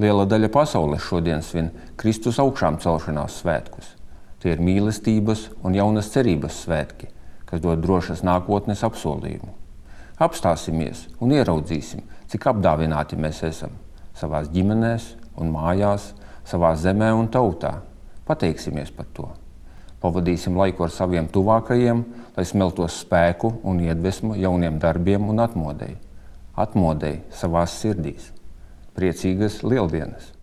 Liela daļa pasaules šodien svin Kristus augšām celšanās svētkus. Tie ir mīlestības un jaunas cerības svētki, kas dod drošas nākotnes apsolījumu. Apstāsimies un ieraudzīsim, cik apdāvināti mēs esam savās ģimenēs un mājās, savā zemē un tautā. Pateiksimies par to. Pavadīsim laiku ar saviem tuvākajiem, lai smeltos spēku un iedvesmu jauniem darbiem un atmodei. Atmodei savās sirdīs. Priecīgas Lieldienas!